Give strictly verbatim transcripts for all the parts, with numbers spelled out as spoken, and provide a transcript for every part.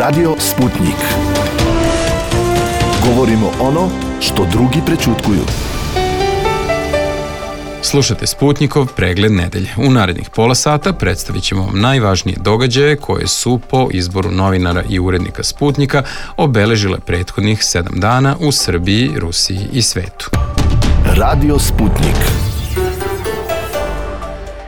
Radio Sputnik. Govorimo ono što drugi prećutkuju. Slušate Sputnikov pregled nedelje. U narednih pola sata predstavit ćemo vam najvažnije događaje koje su po izboru novinara i urednika Sputnika obeležile prethodnih sedam dana u Srbiji, Rusiji i svetu. Radio Sputnik.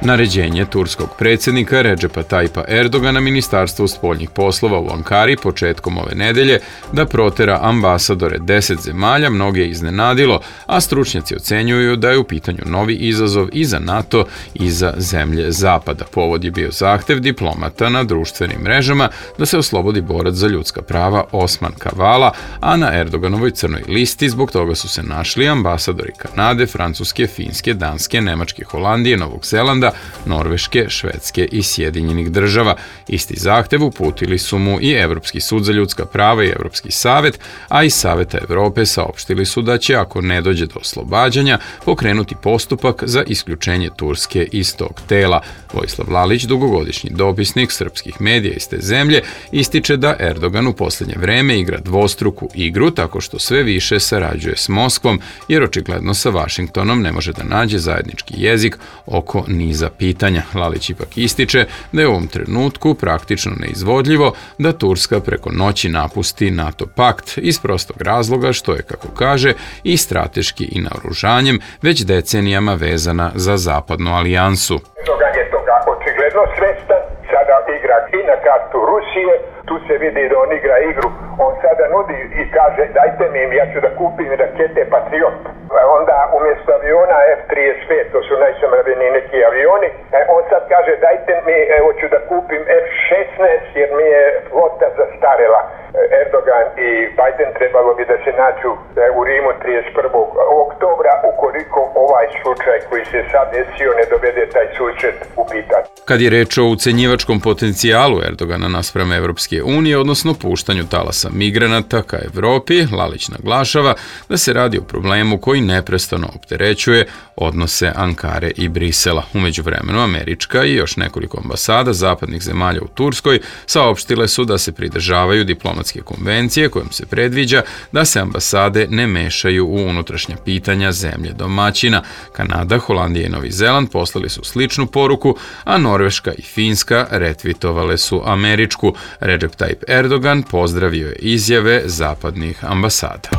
Naređenje turskog predsjednika Redžepa Tajpa Erdogana Ministarstvu spoljnih poslova u Ankari početkom ove nedelje da protera ambasadore deset zemalja mnoge je iznenadilo, a stručnjaci ocenjuju da je u pitanju novi izazov i za NATO i za zemlje Zapada. Povod je bio zahtev diplomata na društvenim mrežama da se oslobodi borac za ljudska prava Osman Kavala, a na Erdoganovoj crnoj listi zbog toga su se našli ambasadori Kanade, Francuske, Finske, Danske, Nemačke, Holandije, Novog Zelanda, Norveške, Švedske i Sjedinjenih država. Isti zahtev uputili su mu i Evropski sud za ljudska prava i Evropski savet, a iz Saveta Evrope saopštili su da će, ako ne dođe do oslobađanja, pokrenuti postupak za isključenje Turske iz tog tela. Vojislav Lalić, dugogodišnji dopisnik srpskih medija iz te zemlje, ističe da Erdogan u posljednje vreme igra dvostruku igru tako što sve više sarađuje s Moskvom, jer očigledno sa Vašingtonom ne može da nađe zajednički jezik oko niza pitanja. Lalić ipak ističe da je u ovom trenutku praktično neizvodljivo da Turska preko noći napusti NATO pakt iz prostog razloga što je, kako kaže, i strateški i naoružanjem već decenijama vezana za zapadnu alijansu. Erdogan je toga očigledno svestan, sada igra i na kartu Rusije, tu se vidi da on igra igru, on sada nudi i kaže dajte mi, ja ću da kupim rakete Patriot. Onda umjesto aviona F trideset pet, to su najsavremeniji neki avioni, on sad kaže dajte mi, evo ću da kupim F šesnaest jer mi je flota zastarela. Erdogan i Biden trebalo bi da se nađu u Rimu trideset prvog oktobra ukoliko ovaj slučaj koji se sad desio ne dovede taj susret u pitanje. Kad je reč o ucenjivačkom potencijalu Erdogana naspram Evropske unije, odnosno puštanju talasa migranata ka Evropi, Lalić naglašava da se radi o problemu koji neprestano opterećuje odnose Ankare i Brisela. U međuvremenu američka i još nekoliko ambasada zapadnih zemalja u Turskoj saopštile su da se pridržavaju diplomatske konvencije kojom se predviđa da se ambasade ne mešaju u unutrašnja pitanja zemlje domaćina. Kanada, Holandija i Novi Zeland poslali su sličnu poruku, a Norveška i Finska retvitovale su američku. Recep Tayyip Erdogan pozdravio je izjave zapadnih ambasada.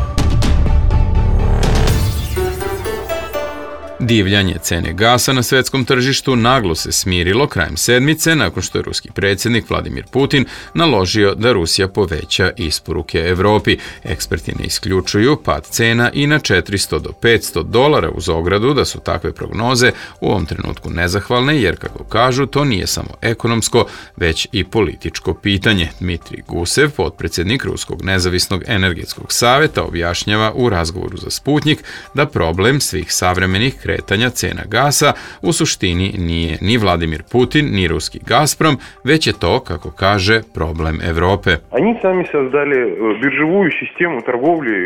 Divljanje cene gasa na svetskom tržištu naglo se smirilo krajem sedmice nakon što je ruski predsjednik Vladimir Putin naložio da Rusija poveća isporuke Evropi. Eksperti ne isključuju pad cena i na četiristo do petsto dolara uz ogradu da su takve prognoze u ovom trenutku nezahvalne jer, kako kažu, to nije samo ekonomsko, već i političko pitanje. Dmitrij Gusev, potpredsjednik Ruskog nezavisnog energetskog saveta, objašnjava u razgovoru za Sputnik da problem svih savremenih kretanja cena gasa u suštini nije ni Vladimir Putin, ni ruski Gazprom, već je to, kako kaže, problem Evrope.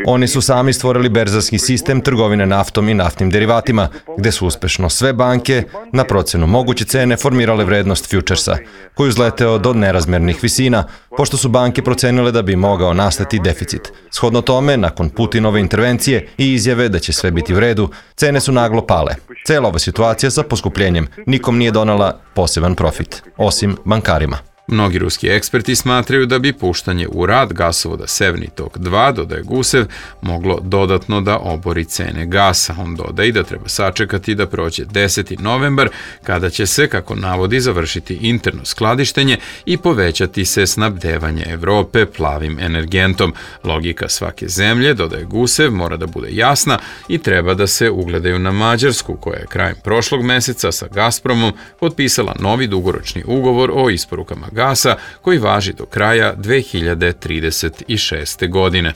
Oni su sami stvorili berzarski sistem trgovine naftom i naftnim derivatima, gde su uspešno sve banke na procenu moguće cene formirale vrednost fjučersa, koji uzleteo do nerazmernih visina, pošto su banke procenile da bi mogao nastati deficit. Shodno tome, nakon Putinove intervencije i izjave da će sve biti u redu, cene su naglo pale. Cela ova situacija sa poskupljenjem nikom nije donala poseban profit, osim bankarima. Mnogi ruski eksperti smatraju da bi puštanje u rad gasovoda Severni tok dva, dodaje Gusev, moglo dodatno da obori cene gasa. On dodaje da treba sačekati da prođe deseti novembar, kada će se, kako navodi, završiti interno skladištenje i povećati se snabdevanje Evrope plavim energentom. Logika svake zemlje, dodaje Gusev, mora da bude jasna i treba da se ugledaju na Mađarsku, koja je krajem prošlog meseca sa Gazpromom potpisala novi dugoročni ugovor o isporukama gasa koji važi do kraja dve hiljade trideset šeste. godine.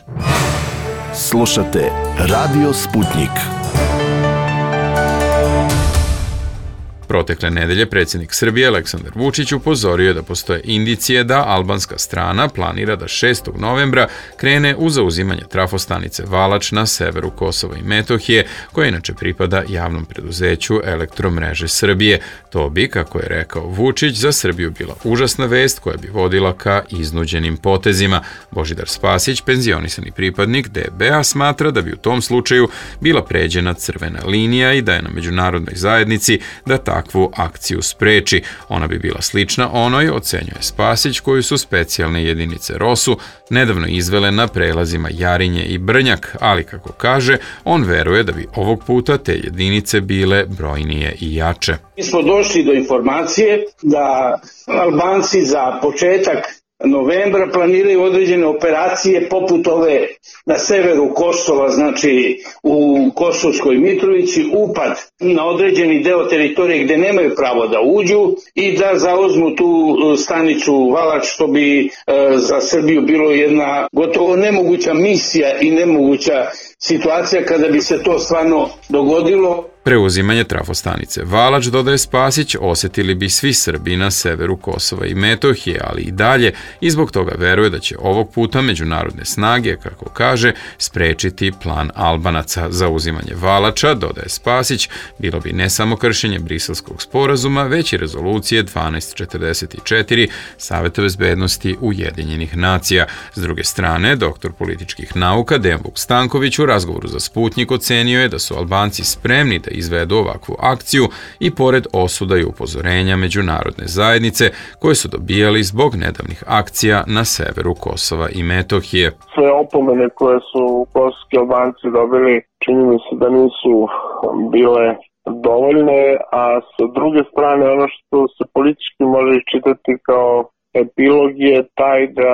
Slušate Radio Sputnik. Protekle nedelje predsjednik Srbije Aleksandar Vučić upozorio je da postoje indicije da albanska strana planira da šestog novembra krene u zauzimanje trafostanice Valač na severu Kosova i Metohije, koja inače pripada javnom preduzeću Elektromreže Srbije. To bi, kako je rekao Vučić, za Srbiju bila užasna vest koja bi vodila ka iznuđenim potezima. Božidar Spasić, penzionisani pripadnik D B A, smatra da bi u tom slučaju bila pređena crvena linija i da je na međunarodnoj zajednici da takvu akciju spreči. Ona bi bila slična onoj, ocenjuje Spasić, koju su specijalne jedinice ROSU nedavno izvele na prelazima Jarinje i Brnjak, ali kako kaže, on veruje da bi ovog puta te jedinice bile brojnije i jače. Mi smo došli do informacije da Albanci za početak novembra planiraju određene operacije poput ove na severu Kosova, znači u Kosovskoj Mitrovici, upad na određeni deo teritorije gde nemaju pravo da uđu i da zauzmu tu stanicu Valač, što bi e, za Srbiju bilo jedna gotovo nemoguća misija i nemoguća situacija kada bi se to stvarno dogodilo. Preuzimanje trafostanice Valač, dodaje Spasić, osjetili bi svi Srbi na severu Kosova i Metohije, ali i dalje, i zbog toga veruje da će ovog puta međunarodne snage, kako kaže, sprečiti plan Albanaca. Za uzimanje Valača, dodaje Spasić, bilo bi ne samo kršenje Briselskog sporazuma, već i rezolucije dvanaest četrdeset četiri Saveta bezbednosti Ujedinjenih nacija. S druge strane, doktor političkih nauka Dejan Vuk Stanković u razgovoru za Sputnik ocenio je da su Albanci spremni da izvedu ovakvu akciju i pored osuda i upozorenja međunarodne zajednice koje su dobijali zbog nedavnih akcija na severu Kosova i Metohije. Sve opomene koje su kosovski Albanci dobili, čini mi se da nisu bile dovoljne, a sa druge strane ono što se politički može iščitati kao epilog je taj da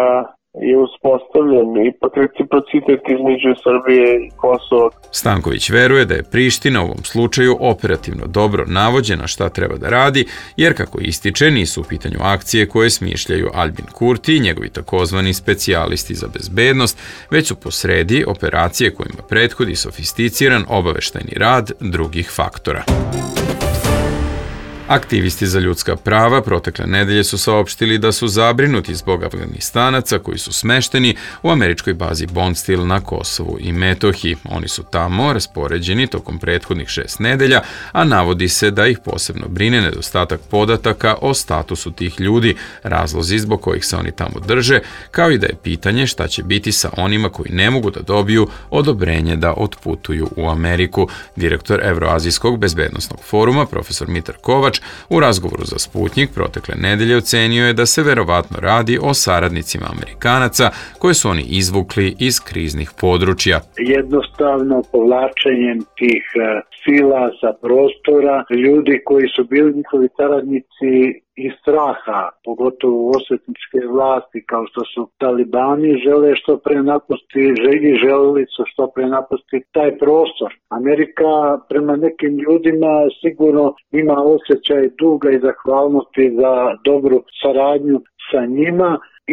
je uspostavljen ipak reciprocitet između Srbije i Kosova. Stanković veruje da je Priština u ovom slučaju operativno dobro navođena šta treba da radi, jer kako ističe nisu u pitanju akcije koje smišljaju Albin Kurti i njegovi takozvani specijalisti za bezbednost, već su posredi operacije kojima prethodi sofisticiran obaveštajni rad drugih faktora. Aktivisti za ljudska prava protekle nedelje su saopštili da su zabrinuti zbog Afganistanaca koji su smešteni u američkoj bazi Bondsteel na Kosovu i Metohiji. Oni su tamo raspoređeni tokom prethodnih šest nedelja, a navodi se da ih posebno brine nedostatak podataka o statusu tih ljudi, razlozi zbog kojih se oni tamo drže, kao i da je pitanje šta će biti sa onima koji ne mogu da dobiju odobrenje da otputuju u Ameriku. Direktor Evroazijskog bezbednosnog foruma, profesor Mitar Kovač, u razgovoru za Sputnik protekle nedelje ocenio je da se verovatno radi o saradnicima Amerikanaca koje su oni izvukli iz kriznih područja. Jednostavno povlačenjem tih sila sa prostora, ljudi koji su bili njihovi saradnici iz straha, pogotovo osvetničke vlasti kao što su talibani, žele što pre napustiti, želi želeli su što pre napustiti taj prostor. Amerika prema nekim ljudima sigurno ima osjećaj duga i zahvalnosti za dobru saradnju sa njima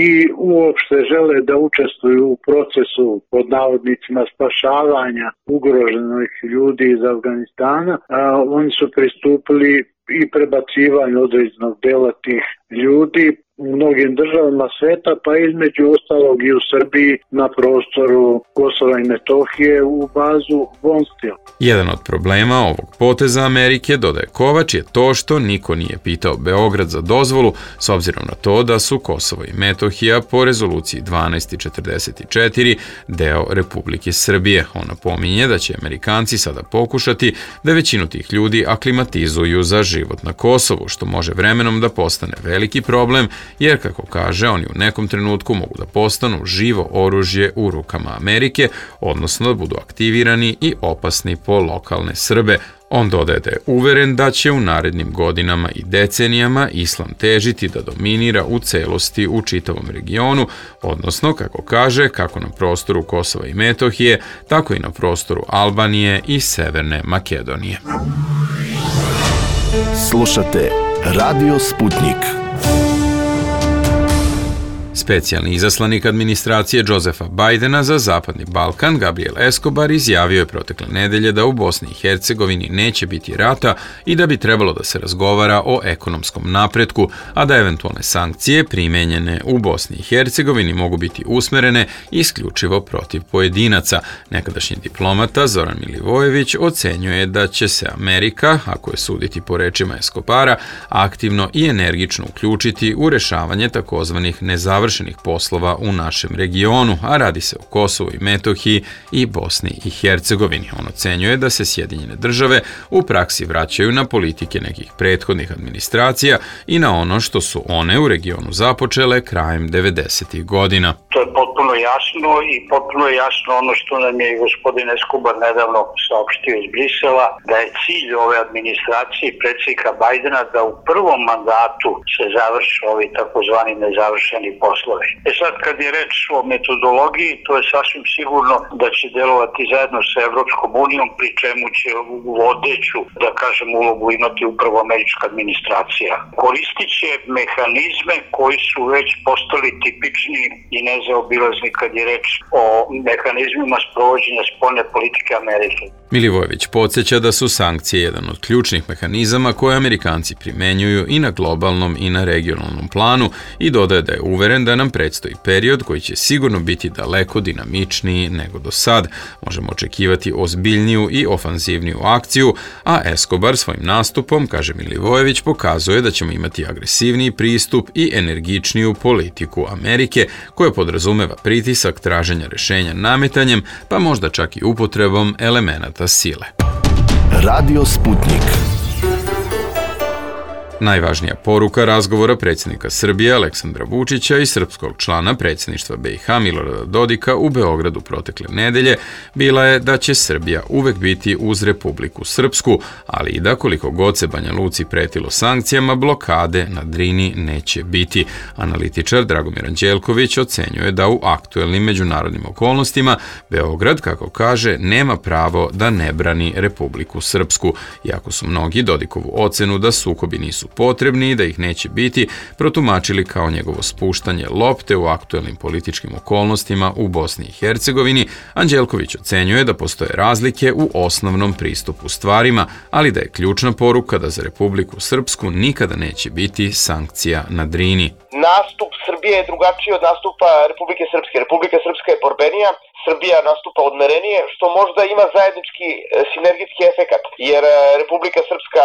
i uopšte žele da učestvuju u procesu pod navodnicima spašavanja ugroženih ljudi iz Afganistana. A, oni su pristupili i prebacivanju određenog dela tih ljudi u mnogim državama sveta, pa između ostalog i u Srbiji na prostoru Kosova i Metohije u bazu Bondsteel. Jedan od problema ovog poteza Amerike, dodaje Kovač, je to što niko nije pitao Beograd za dozvolu, s obzirom na to da su Kosovo i Metohija po rezoluciji dvanaest četrdeset četiri deo Republike Srbije. On napominje da će Amerikanci sada pokušati da većinu tih ljudi aklimatizuju za život na Kosovu, što može vremenom da postane veliki problem, jer, kako kaže, oni u nekom trenutku mogu da postanu živo oružje u rukama Amerike, odnosno da budu aktivirani i opasni po lokalne Srbe. On dodaje da je uveren da će u narednim godinama i decenijama islam težiti da dominira u celosti u čitavom regionu, odnosno, kako kaže, kako na prostoru Kosova i Metohije, tako i na prostoru Albanije i Severne Makedonije. Slušate Radio Sputnik. Specijalni izaslanik administracije Josefa Bajdena za Zapadni Balkan, Gabriel Escobar, izjavio je protekle nedelje da u Bosni i Hercegovini neće biti rata i da bi trebalo da se razgovara o ekonomskom napretku, a da eventualne sankcije primenjene u Bosni i Hercegovini mogu biti usmerene isključivo protiv pojedinaca. Nekadašnji diplomata Zoran Milivojević ocenjuje da će se Amerika, ako je suditi po rečima Escobara, aktivno i energično uključiti u rešavanje takozvanih nezavršenih poslova u našem regionu, a radi se o Kosovu i Metohiji i Bosni i Hercegovini. On ocenjuje da se Sjedinjene države u praksi vraćaju na politike nekih prethodnih administracija i na ono što su one u regionu započele krajem devedesetih godina. To je potpuno jasno i potpuno je jasno ono što nam je i gospodin Escobar nedavno saopštio iz Brisela, da je cilj ove administracije i predsjednika Bajdena da u prvom mandatu se završe ovi takozvani nezavršeni poslovi. E sad, kad je reč o metodologiji, to je sasvim sigurno da će delovati zajedno sa Evropskom unijom, pri čemu će vodeću, da kažem, ulogu imati upravo američka administracija. Koristit će mehanizme koji su već postali tipični i nezaobilazni kad je reč o mehanizmima sprovođenja spoljne politike Amerike. Milivojević podsjeća da su sankcije jedan od ključnih mehanizama koje Amerikanci primenjuju i na globalnom i na regionalnom planu i dodaje da je uveren da nam predstoji period koji će sigurno biti daleko dinamičniji nego do sad. Možemo očekivati ozbiljniju i ofanzivniju akciju, a Escobar svojim nastupom, kaže Milivojević, pokazuje da ćemo imati agresivniji pristup i energičniju politiku Amerike koja podrazumeva pritisak traženja rešenja nametanjem, pa možda čak i upotrebom elemenata sile. Radio Sputnik. Najvažnija poruka razgovora predsjednika Srbije Aleksandra Vučića i srpskog člana predsjedništva B i H Milorada Dodika u Beogradu protekle nedelje bila je da će Srbija uvek biti uz Republiku Srpsku, ali i da koliko god se Banja Luci pretilo sankcijama, blokade na Drini neće biti. Analitičar Dragomir Anđelković ocenjuje da u aktuelnim međunarodnim okolnostima Beograd, kako kaže, nema pravo da ne brani Republiku Srpsku. Iako su mnogi Dodikovu ocenu da sukobi nisu potrebni i da ih neće biti protumačili kao njegovo spuštanje lopte u aktuelnim političkim okolnostima u Bosni i Hercegovini, Anđelković ocenjuje da postoje razlike u osnovnom pristupu stvarima, ali da je ključna poruka da za Republiku Srpsku nikada neće biti sankcija na Drini. Nastup Srbije je drugačiji od nastupa Republike Srpske. Republika Srpska je borbenija, Srbija nastupa odmerenije, što možda ima zajednički sinergijski efekat, jer Republika Srpska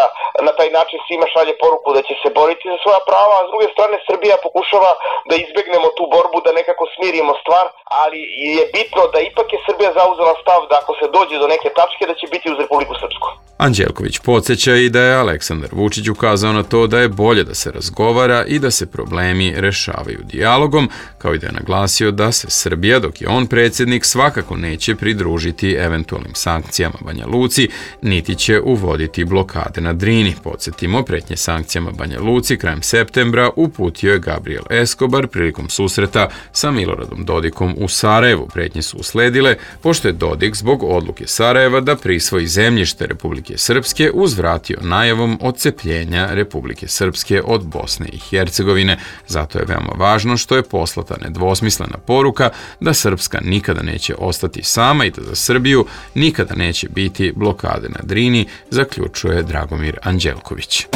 na taj način svima šalje poruku da će se boriti za svoja prava, a s druge strane Srbija pokušava da izbegnemo tu borbu, da nekako smirimo stvar, ali je bitno da ipak je Srbija zauzela stav da ako se dođe do neke tačke da će biti uz Republiku Srpsku. Anđelković podsjeća i da je Aleksandar Vučić ukazao na to da je bolje da se razgovara i da se problemi rešavaju dijalogom, kao i da je naglasio da se Srbija, dok je on predsjednik, svakako neće pridružiti eventualnim sankcijama Banja Luci, niti će uvoditi blokade na Drini. Podsjetimo, pretnje sankcijama Banja Luci krajem septembra uputio je Gabriel Escobar prilikom susreta sa Miloradom Dodikom u Sarajevu. Pretnje su usledile pošto je Dodik zbog odluke Sarajeva da prisvoji zemljište Republike Srpske uzvratio najavom odcepljenja Republike Srpske od Bosne i Hercegovine. Zato je veoma važno što je poslata nedvosmislena poruka da Srpska nikada neće ostati sama i da za Srbiju nikada neće biti blokade na Drini, zaključuje Dragomir Anđelković.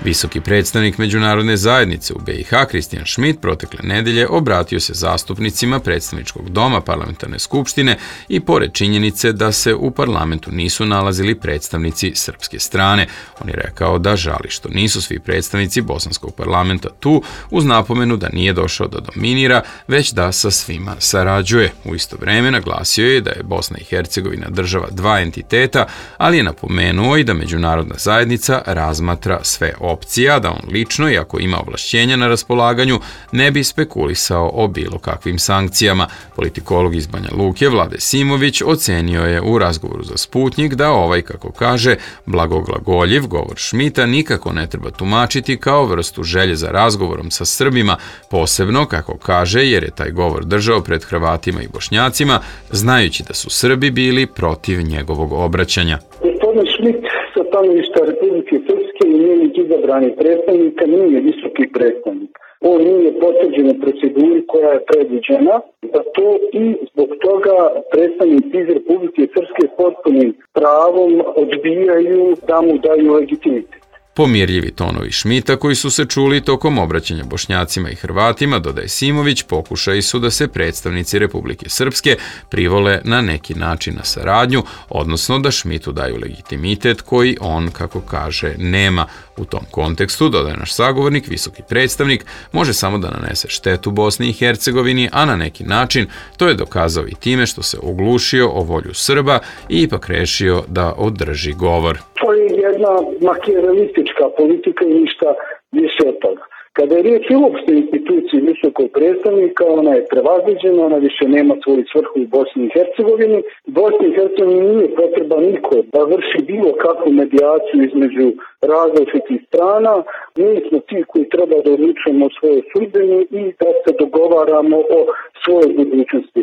Visoki predstavnik međunarodne zajednice u B i H Kristijan Šmit protekle nedelje obratio se zastupnicima predstavničkog doma parlamentarne skupštine i pored činjenice da se u parlamentu nisu nalazili predstavnici srpske strane. On je rekao da žali što nisu svi predstavnici bosanskog parlamenta tu, uz napomenu da nije došao da dominira, već da sa svima sarađuje. U isto vreme naglasio je da je Bosna i Hercegovina država dva entiteta, ali je napomenuo i da međunarodna zajednica razmatra sve opcija, da on lično, iako ima ovlašćenja na raspolaganju, ne bi spekulisao o bilo kakvim sankcijama. Politikolog iz Banja Luke Vlade Simović ocenio je u razgovoru za Sputnik da ovaj, kako kaže, blagoglagoljiv govor Šmita nikako ne treba tumačiti kao vrstu želje za razgovorom sa Srbima, posebno, kako kaže, jer je taj govor držao pred Hrvatima i Bošnjacima, znajući da su Srbi bili protiv njegovog obraćanja. Gospodin Šmit sa stanovišta Republike Srpske i njenih izabranih predstavnika nije visoki predstavnik. on nije potvrđen u proceduri koja je predviđena, da to i zbog toga predstavnici iz Republike Srpske potpunim pravom odbijaju da mu daju legitimitet. Pomirljivi tonovi Šmita koji su se čuli tokom obraćanja Bošnjacima i Hrvatima, dodaje Simović, pokušaji su da se predstavnici Republike Srpske privole na neki način na saradnju, odnosno da Šmitu daju legitimitet koji on, kako kaže, nema. U tom kontekstu, dodaje naš sagovornik, visoki predstavnik može samo da nanese štetu Bosni i Hercegovini, a na neki način to je dokazao i time što se oglušio o volju Srba i ipak rešio da održi govor. To je jedna makijavelitička politika i ništa više od toga. Kada je riječ o uopšte instituciji visokog predstavnika, ona je prevaziđena, ona više nema svoju svrhu u Bosni i Hercegovini. Bosni i Hercegovini nije potreba niko da vrši bilo kakvu medijaciju između različitih strana. Mi smo ti koji treba da odlučujemo o svojoj sudbini i da se dogovaramo o svojoj budućnosti.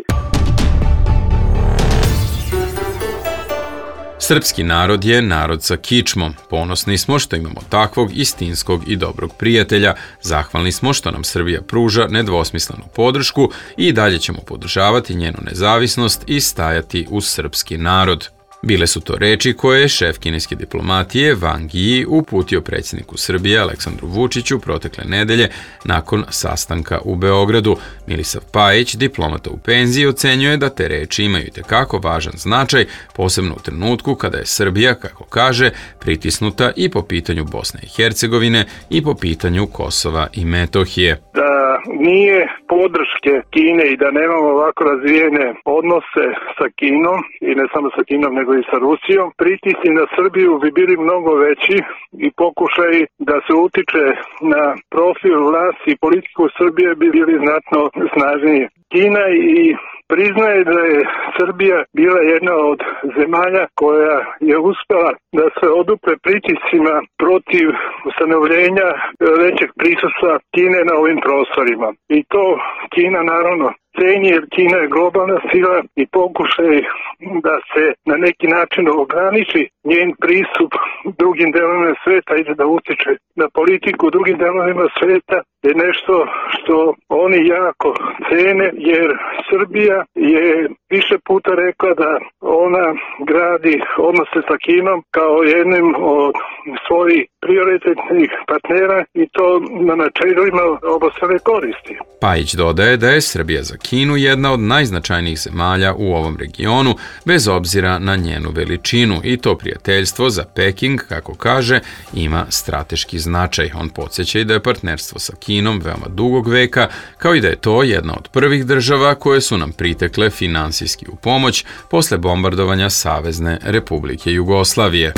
Srpski narod je narod sa kičmom. Ponosni smo što imamo takvog istinskog i dobrog prijatelja. Zahvalni smo što nam Srbija pruža nedvosmislenu podršku i dalje ćemo podržavati njenu nezavisnost i stajati uz srpski narod. Bile su to reči koje je šef kineske diplomatije Wang Yi uputio predsjedniku Srbije Aleksandru Vučiću protekle nedelje nakon sastanka u Beogradu. Milisav Pajić, diplomata u penziji, ocenjuje da te reči imaju itekako važan značaj, posebno u trenutku kada je Srbija, kako kaže, pritisnuta i po pitanju Bosne i Hercegovine i po pitanju Kosova i Metohije. Da nije podrške Kine i da nemamo ovako razvijene odnose sa Kinom, i ne samo sa Kinom, nego i sa Rusijom, pritisci na Srbiju bi bili mnogo veći i pokušaj da se utiče na profil vlasti i politiku Srbije bi bili znatno snažniji. Kina i priznaje da je Srbija bila jedna od zemalja koja je uspela da se odupre pritiscima protiv ustanovljenja većeg prisustva Kine na ovim prostorima. I to Kina naravno ceni, jer Kina je globalna sila i pokušaj da se na neki način ograniči njen pristup drugim delovima sveta i da utiče na politiku u drugim delovima sveta je nešto što oni jako cene, jer Srbija je više puta rekla da ona gradi odnose sa Kinom kao jednim od svojih prioritetnih partnera i to na načelima obostrane koristi. Pajić dodaje da je Srbija za Kinu jedna od najznačajnijih zemalja u ovom regionu, bez obzira na njenu veličinu, i to prijateljstvo za Peking, kako kaže, ima strateški značaj. On podsjeća i da je partnerstvo sa Kinom veoma dugog veka, kao i da je to jedna od prvih država koje su nam pritekle finansijski u pomoć posle bombardovanja Savezne Republike Jugoslavije.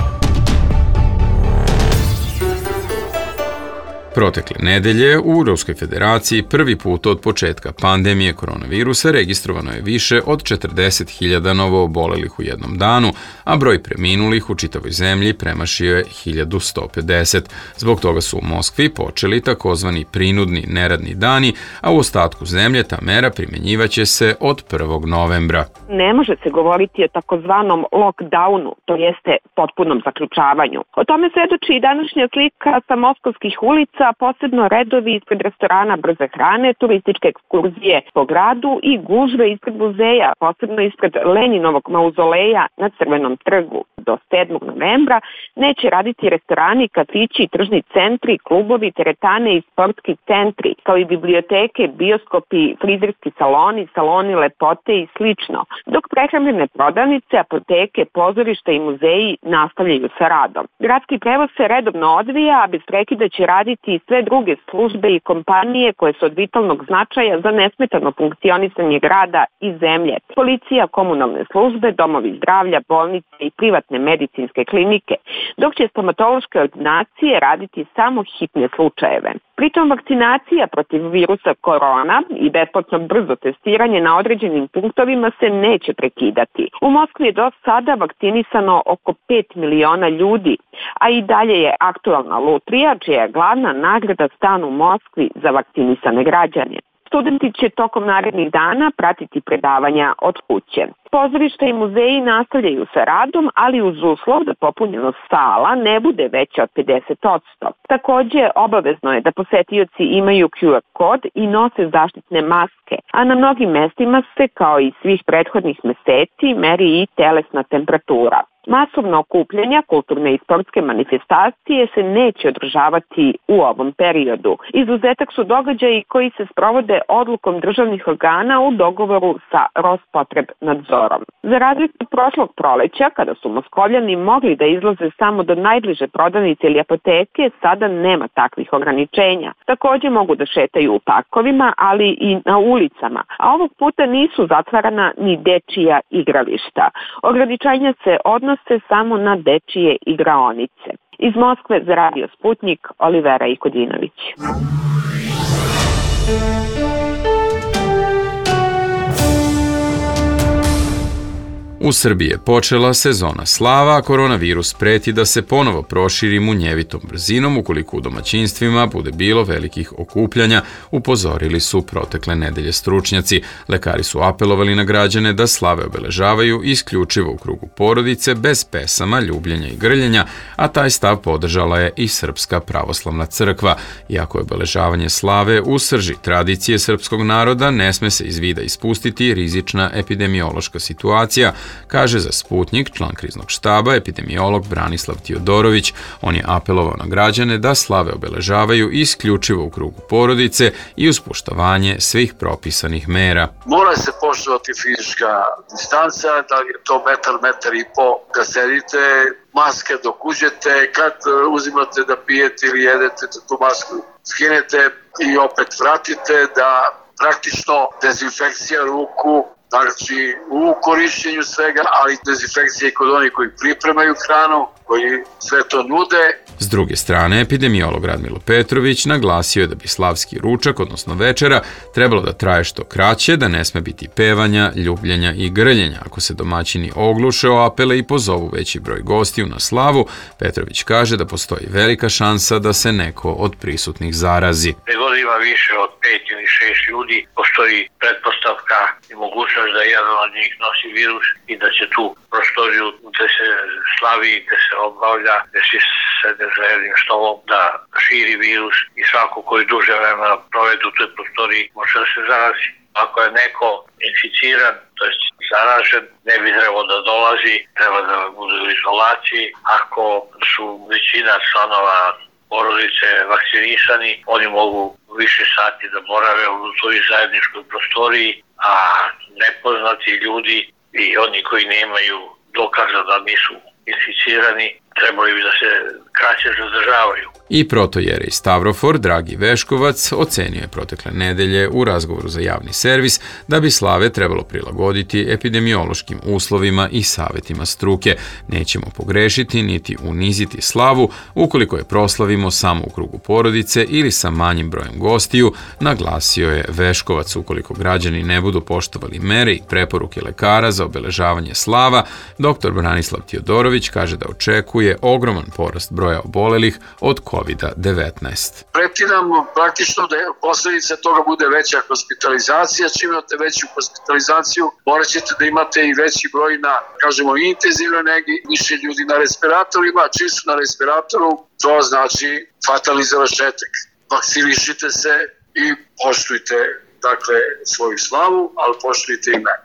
Protekle nedelje u Ruskoj federaciji prvi put od početka pandemije koronavirusa registrovano je više od četrdeset hiljada novoobolelih u jednom danu, a broj preminulih u čitavoj zemlji premašio je hiljadu sto pedeset. Zbog toga su u Moskvi počeli takozvani prinudni neradni dani, a u ostatku zemlje ta mera primjenjivaće se od prvog novembra. Ne može se govoriti o takozvanom lockdownu, to jeste potpunom zaključavanju. O tome svedoči i današnja slika sa moskovskih ulica, posebno redovi ispred restorana brze hrane, turističke ekskurzije po gradu i gužve ispred muzeja, posebno ispred Leninovog mauzoleja na Crvenom trgu. Do sedmog novembra neće raditi restorani, kafići, tržni centri, klubovi, teretane i sportski centri, kao i biblioteke, bioskopi, frizerski saloni, saloni lepote i slično, dok prehrambene prodavnice, apoteke, pozorišta i muzeji nastavljaju sa radom. Gradski prevoz se redovno odvija, a bez prekida će raditi i sve druge službe i kompanije koje su od vitalnog značaja za nesmetano funkcionisanje grada i zemlje. Policija, komunalne službe, domovi zdravlja, bolnice i privatne medicinske klinike, dok će stomatološke ordinacije raditi samo hitne slučajeve. Pritom vakcinacija protiv virusa korona i besplatno brzo testiranje na određenim punktovima se neće prekidati. U Moskvi je do sada vakcinisano oko pet miliona ljudi, a i dalje je aktualna lutrija, čija je glavna nagrada stan u Moskvi za vakcinisane građane. Studenti će tokom narednih dana pratiti predavanja od kuće. Pozorišta i muzeji nastavljaju sa radom, ali uz uslov da popunjenost sala ne bude veća od pedeset posto. Takođe, obavezno je da posetioci imaju Q R kod i nose zaštitne maske, a na mnogim mestima se, kao i svih prethodnih meseci, meri i telesna temperatura. Masovna okupljanja, kulturne i sportske manifestacije se neće održavati u ovom periodu. Izuzetak su događaji koji se sprovode odlukom državnih organa u dogovoru sa Rospotrebnadzorom. Za razliku od prošlog proleća, kada su Moskovljani mogli da izlaze samo do najbliže prodavnice ili apoteke, sada nema takvih ograničenja. Takođe mogu da šetaju u parkovima, ali i na ulicama, a ovog puta nisu zatvarana ni dečija igrališta. Ograničenja se odnose samo na dečije igraonice. Iz Moskve za Radio Sputnik, Olivera Ikodinović. U Srbiji je počela sezona slava, a koronavirus preti da se ponovo proširi munjevitom brzinom ukoliko u domaćinstvima bude bilo velikih okupljanja, upozorili su protekle nedelje stručnjaci. Lekari su apelovali na građane da slave obeležavaju isključivo u krugu porodice, bez pesama, ljubljenja i grljenja, a taj stav podržala je i Srpska pravoslavna crkva. Iako je obeležavanje slave u srži tradicije srpskog naroda, ne sme se iz vida ispustiti rizična epidemiološka situacija, kaže za Sputnik član kriznog štaba epidemiolog Branislav Tiodorović. On je apelovao na građane da slave obeležavaju isključivo u krugu porodice i uz poštovanje svih propisanih mera. Mora se poštovati fizička distanca, da je to metar, metar i po kad sedite, maske dok uđete, kad uzimate da pijete ili jedete, da tu masku skinete i opet vratite, da praktično dezinfekcija ruku, znači u korišćenju svega, ali dezinfekcija i kod onih koji pripremaju hranu, koji sve to nude. S druge strane, epidemiolog Radmilo Petrović naglasio je da bi slavski ručak, odnosno večera, trebalo da traje što kraće, da ne sme biti pevanja, ljubljenja i grljenja. Ako se domaćini ogluše o apele i pozovu veći broj gostiju na slavu, Petrović kaže da postoji velika šansa da se neko od prisutnih zarazi. Pregod ima više od pet ili šest ljudi, postoji pretpostavka i mogućnost da jedan od njih nosi virus i da će tu prostoriju gde se slavi, gde se obavlja, gde se sede za jednim stolom da širi virus i svako koji duže vremena provede u toj prostoriji može da se zarazi. Ako je neko inficiran, to je zaražen, ne bi trebalo da dolazi, treba da bude u izolaciji. Ako su većina članova porodice vakcinisani, oni mogu više sati da borave u toj zajedničkoj prostoriji, a nepoznati ljudi i oni koji nemaju dokaza da nisu inficirani, trebali bi da se kraće zadržavaju. I protojerej Stavrofor Dragi Veškovac ocenio je protekle nedelje u razgovoru za javni servis da bi slave trebalo prilagoditi epidemiološkim uslovima i savetima struke. Nećemo pogrešiti niti uniziti slavu ukoliko je proslavimo samo u krugu porodice ili sa manjim brojem gostiju, naglasio je Veškovac. Ukoliko građani ne budu poštovali mere i preporuke lekara za obeležavanje slava, doktor Branislav Tiodorović kaže da očekuje ogroman porast broja obolelih od kovid devetnaest. Preti nam praktično da posljedica toga bude veća hospitalizacija. Čim imate veću hospitalizaciju, morat ćete da imate i veći broj na, kažemo, intenzivnoj negi, više ljudi na respiratorima. Čim su na respiratoru, to znači fatalni završetak. Vakcinišite se i poštujte, dakle, svoju slavu, ali poštujte i mene.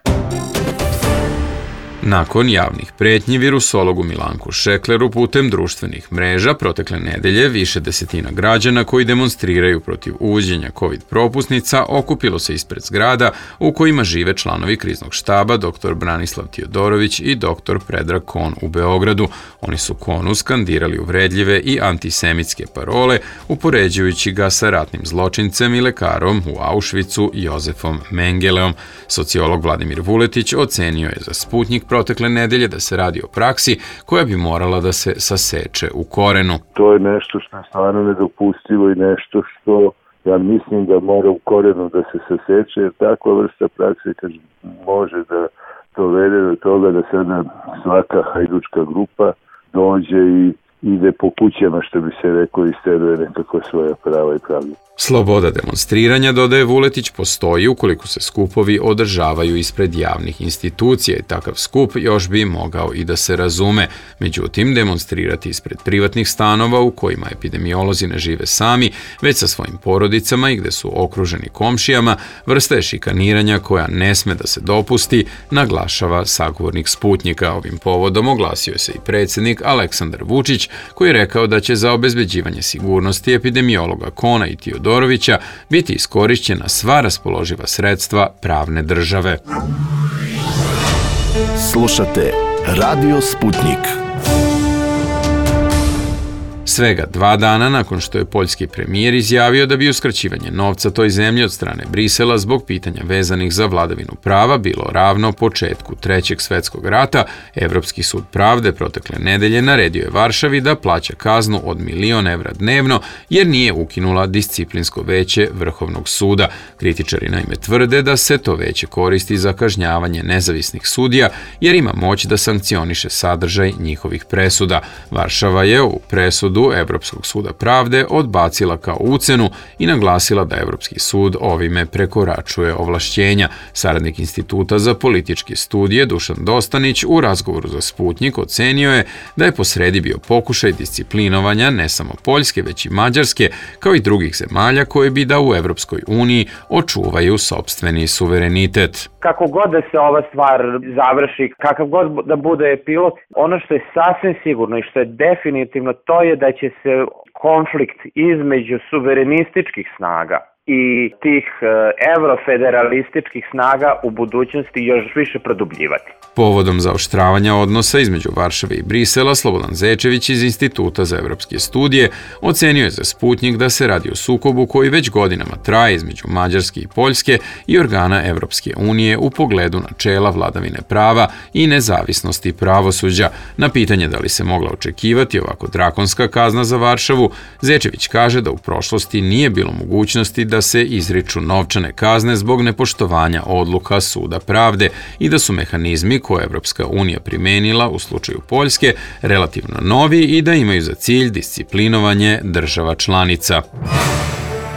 Nakon javnih pretnji virusologu Milanku Šekleru putem društvenih mreža protekle nedelje više desetina građana koji demonstriraju protiv uvođenja COVID propusnica okupilo se ispred zgrada u kojima žive članovi kriznog štaba doktor Branislav Tiodorović i doktor Predrag Kon u Beogradu. Oni su Konu skandirali uvredljive i antisemitske parole, upoređujući ga sa ratnim zločincem i lekarom u Auschwitzu Jozefom Mengeleom. Sociolog Vladimir Vuletić ocenio je za Sputnik protekle nedelje da se radi o praksi koja bi morala da se saseče u korenu. To je nešto što je stvarno nedopustivo i nešto što ja mislim da mora u korenu da se saseče, jer takva vrsta prakse kad može da dovede do toga da sada svaka hajdučka grupa dođe i ide po kućama, što bi se reklo, isteruje nekako svoja prava i pravda. Sloboda demonstriranja, dodaje Vuletić, postoji ukoliko se skupovi održavaju ispred javnih institucija i takav skup još bi mogao i da se razume. Međutim, demonstrirati ispred privatnih stanova u kojima epidemiolozi ne žive sami, već sa svojim porodicama i gde su okruženi komšijama, vrsta je šikaniranja koja ne sme da se dopusti, naglašava sagovornik Sputnjika. Ovim povodom oglasio se i predsjednik Aleksandar Vučić, koji je rekao da će za obezbeđivanje sigurnosti epidemiologa Kona i Tiodorovića biti iskorišćena sva raspoloživa sredstva pravne države. Slušate Radio Sputnik. Svega dva dana nakon što je poljski premijer izjavio da bi uskraćivanje novca toj zemlji od strane Brisela zbog pitanja vezanih za vladavinu prava bilo ravno početku Trećeg svetskog rata, Evropski sud pravde protekle nedelje naredio je Varšavi da plaća kaznu od milion evra dnevno jer nije ukinula disciplinsko veće Vrhovnog suda. Kritičari naime tvrde da se to veće koristi za kažnjavanje nezavisnih sudija jer ima moć da sankcioniše sadržaj njihovih presuda. Varšava je u presudu Evropskog suda pravde odbacila kao ucenu i naglasila da Evropski sud ovime prekoračuje ovlašćenja. Saradnik Instituta za političke studije Dušan Dostanić u razgovoru za Sputnjik ocenio je da je posredi bio pokušaj disciplinovanja ne samo Poljske, već i Mađarske, kao i drugih zemalja koje bi da u Evropskoj uniji očuvaju sopstveni suverenitet. Kako god da se ova stvar završi, kakav god da bude epilog, ono što je sasvim sigurno i što je definitivno to je da će se konflikt između suverenističkih snaga i tih evrofederalističkih snaga u budućnosti još više produbljivati. Povodom zaoštravanja odnosa između Varšave i Brisela, Slobodan Zečević iz Instituta za evropske studije ocenio je za Sputnjik da se radi o sukobu koji već godinama traje između Mađarske i Poljske i organa Evropske unije u pogledu načela vladavine prava i nezavisnosti pravosuđa. Na pitanje da li se mogla očekivati ovako drakonska kazna za Varšavu, Zečević kaže da u prošlosti nije bilo mogućnosti da se izriču novčane kazne zbog nepoštovanja odluka Suda pravde i da su mehanizmi koje je Evropska unija primenila u slučaju Poljske relativno novi i da imaju za cilj disciplinovanje država članica.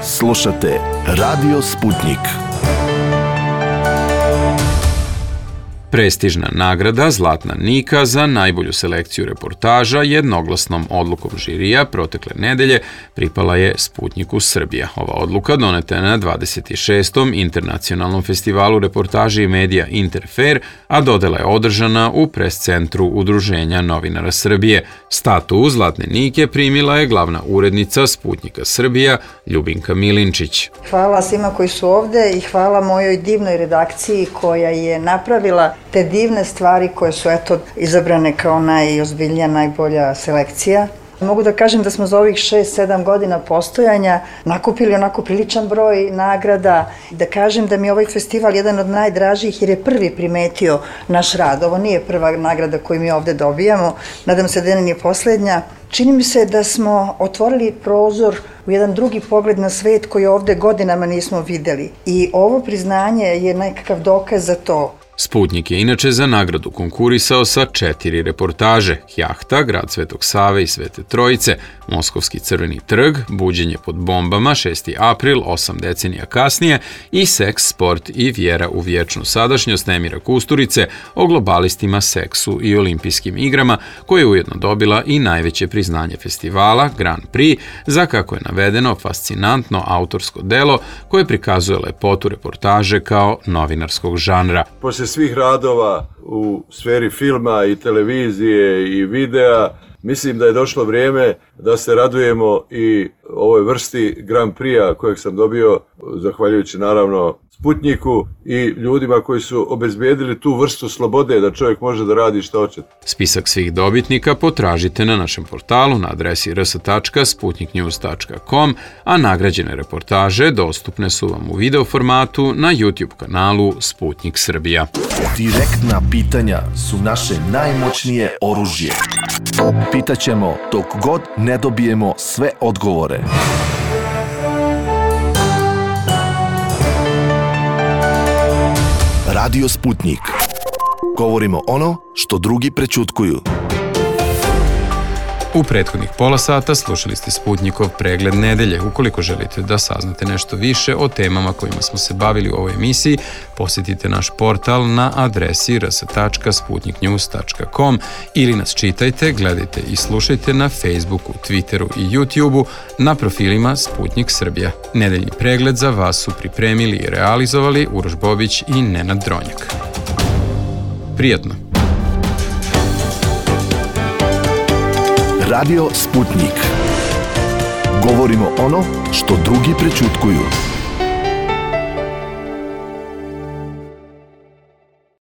Slušate Radio Sputnik. Prestižna nagrada Zlatna Nika za najbolju selekciju reportaža jednoglasnom odlukom žirija protekle nedelje pripala je Sputnjiku Srbija. Ova odluka doneta je na dvadeset šestom internacionalnom festivalu reportaže i medija Interfer, a dodela je održana u pres-centru Udruženja novinara Srbije. Statu Zlatne Nike primila je glavna urednica Sputnjika Srbija Ljubinka Milinčić. Hvala svima koji su ovde i hvala mojoj divnoj redakciji koja je napravila te divne stvari koje su eto izabrane kao najozbiljnija, najbolja selekcija. Mogu da kažem da smo za ovih šest sedam godina postojanja nakupili onako priličan broj nagrada. Da kažem da mi je ovaj festival jedan od najdražih jer je prvi primetio naš rad. Ovo nije prva nagrada koju mi ovde dobijamo, nadam se da nije poslednja. Čini mi se da smo otvorili prozor u jedan drugi pogled na svet koji ovde godinama nismo videli. I ovo priznanje je nekakav dokaz za to. Sputnjik je inače za nagradu konkurisao sa četiri reportaže: Jahta, Grad Svetog Save i Svete Trojice, Moskovski crveni trg, Buđenje pod bombama, šesti april, osam decenija kasnije i Seks, sport i vjera u vječnu sadašnjost Emira Kusturice o globalistima, seksu i olimpijskim igrama, koja je ujedno dobila i najveće priznanje festivala, Grand Prix, za, kako je navedeno, fascinantno autorsko delo koje prikazuje lepotu reportaže kao novinarskog žanra. Posle svih radova u sferi filma i televizije i videa, mislim da je došlo vrijeme da se radujemo i ovoj vrsti Grand Prix-a kojeg sam dobio, zahvaljujući naravno Sputnjiku i ljudima koji su obezbijedili tu vrstu slobode da čovjek može da radi što hoće. Spisak svih dobitnika potražite na našem portalu na adresi r s tačka sputnik news tačka com, a nagrađene reportaže dostupne su vam u video formatu na YouTube kanalu Sputnik Srbija. Direktna pitanja su naše najmoćnije oružje. Pitaćemo dok god ne dobijemo sve odgovore. Radio Sputnik. Govorimo ono što drugi prećutkuju. U prethodnih pola sata slušali ste Sputnikov pregled nedelje. Ukoliko želite da saznate nešto više o temama kojima smo se bavili u ovoj emisiji, posjetite naš portal na adresi r s tačka sputnik news tačka com ili nas čitajte, gledajte i slušajte na Facebooku, Twitteru i YouTubeu na profilima Sputnik Srbija. Nedeljni pregled za vas su pripremili i realizovali Uroš Bobić i Nenad Dronjak. Prijatno! Radio Sputnik. Govorimo ono što drugi prećutkuju.